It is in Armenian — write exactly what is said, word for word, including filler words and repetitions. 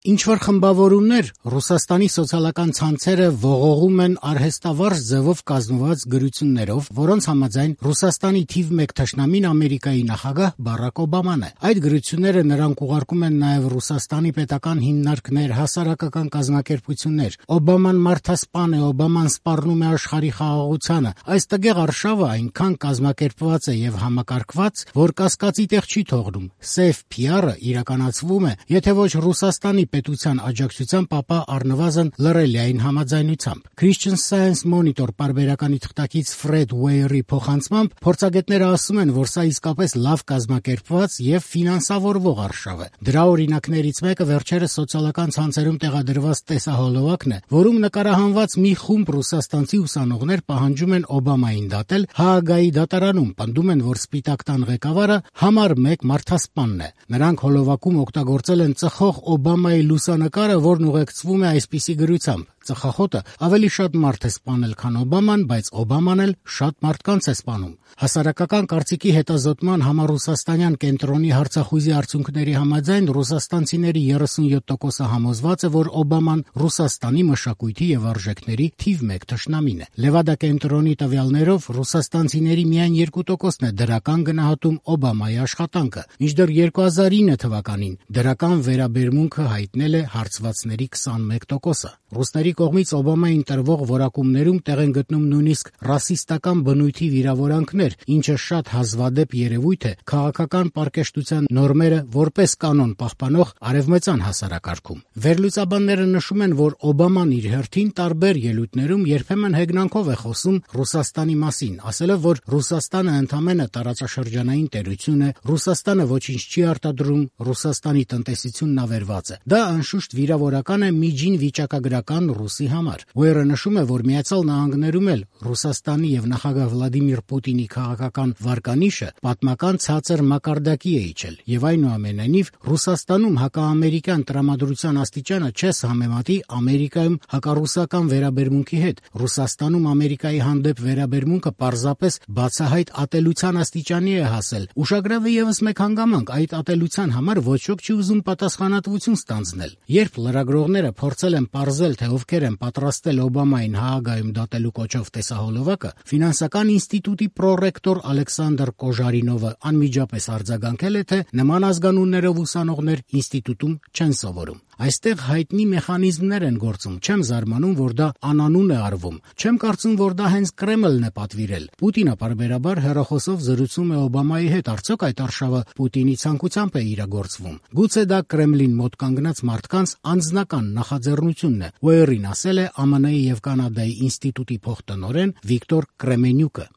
Ինչ-որ խմբավորումներ Ռուսաստանի սոցիալական ցանցերը ողողում են արհեստավարժ ձևով կազմված գրություններով, որոնց համաձայն Ռուսաստանի թիվ մեկ թշնամին Ամերիկայի նախագահ Բարակ Օբաման է։ Այդ գրությունները նրանք ուղարկում են նաև Ռուսաստանի պետական հիմնարկներ, հասարակական կազմակերպություններ։ Օբաման մարդասպան է, Օբաման սպառնում է աշխարհի խաղաղությանը։ Այս տգեղ արշավը այնքան կազմակերպված է եւ համակարգված, որ կասկածի տեղ չի թողնում։ Սև փի ար-ը իրականացվում է, եթե ոչ Ռուսաստանի պետության աջակցությամբ, ապա առնվազն լռելիային համաձայնությամբ։ Christian Science Monitor պարբերականի թղթակից Ֆրեդ Ուեյերի փոխանցմամբ փորձագետները ասում են, որ սա իսկապես լավ կազմակերպված եւ ֆինանսավորվող արշավ է։ Դրա օրինակներից մեկը վերջերս սոցիալական ցանցերում տեղադրված տեսահոլովակն է, որում նկարահանված մի խումբ ռուսաստանցի ուսանողներ պահանջում են Օբամային դատել Հաագայի դատարանում, պնդում են, որ Սպիտակ տան ղեկավարը համար մեկ մարդասպանն է։ Նրանք հոլովակում օգտագործել են ծխող Օբամայի լուսանկարը, որն ուղեկցվում է այսպիսի գրությամբ. Ծխախոտը ավելի շատ մարդ է սպանել, քան Օբաման, բայց Օբաման էլ շատ մարդկանց է սպանում։ Հասարակական կարծիքի հետազոտման համառուսաստանյան կենտրոնի հարցախույզի արդյունքների համաձայն ռուսաստանցիների երեսունյոթ տոկոսը համոզված է, որ Օբաման Ռուսաստանի մշակույթի եւ արժեքների թիվ մեկ թշնամին է։ Լևադա կենտրոնի տվյալներով ռուսաստանցիների միայն երկու տոկոսն է դրական գնահատում Օբամայի աշխատանքը, մինչդեռ երկու հազար ինը թվականին դրական վերաբերմունքը հայտնել է հարցվածների քսանմեկ տոկոսը։ Ռուսների կողմից Օբամային տրվող որակումներում տեղ են գտնում նույնիսկ ռասիստական բնույթի վիրավորանքներ, ինչը շատ հազվադեպ երևույթ է քաղաքական պարկեշտության նորմերը որպես կանոն պահպանող արևմտյան հասարակարգում։ Վերլուծաբանները նշում են, որ Օբաման իր հերթին տարբեր ելույթներում երբեմն հեգնանքով է խոսում Ռուսաստանի մասին, ասելով, որ Ռուսաստանը ընդամենը տարածաշրջանային տերություն է, Ռուսաստանը ոչինչ չի արտադրում, Ռուսաստանի տնտեսությունն ավերված է։ Դա անշուշտ վիրավորական է միջին վիճակագրական Ռուսի համար։ Ուեյրը նշում է, որ Միացյալ Նահանգներում էլ Ռուսաստանի եւ նախագահ Վլադիմիր Պուտինի քաղաքական վարկանիշը պատմական ցածր մակարդակի է իջել, եւ այնուամենայնիվ Ռուսաստանում հակաամերիկյան տրամադրության աստիճանը չես համեմատի Ամերիկայում հակառուսական վերաբերմունքի հետ։ Ռուսաստանում Ամերիկայի հանդեպ վերաբերմունքը պարզապես բացահայտ ատելության աստիճանի է հասել։ Ուշագրավ է եւս մեկ հանգամանք, այդ ատելության համար ոչ ոք չի ուզում պատասխանատվություն ստանձնել։ Երբ լրագրողները փորձել են պարզել, թե ովքեր են պատրաստել Օբամային Հաագայում դատելու կոչով տեսահոլովակը, ֆինանսական ինստիտուտի պրոռեկտոր Ալեքսանդր Կոժարինովը անմիջապես արձագանքել է, թե նման ազգանուններով ուսանողներ ինստիտուտում չեն սովորում։ Այստեղ հայտնի մեխանիզմներ են գործում, չեմ զարմանում, որ դա անանուն է արվում, չեմ կարծում, որ դա հենց Կրեմլն է պատվիրել։ Պուտինը պարբերաբար հեռախոսով զրուցում է Օբամայի հետ, արդյոք այդ արշավը Պուտինի ցանկությամբ է իրագործվում։ Գուցե դա Կրեմլին մոտ կանգնած մարդկանց անձնական նախաձեռնությունն է, Ուեյրին ասել է Ամենայի եւ Կանադայի ինստիտուտի փոխտնօրեն Վիկտոր Կրեմենյուկը։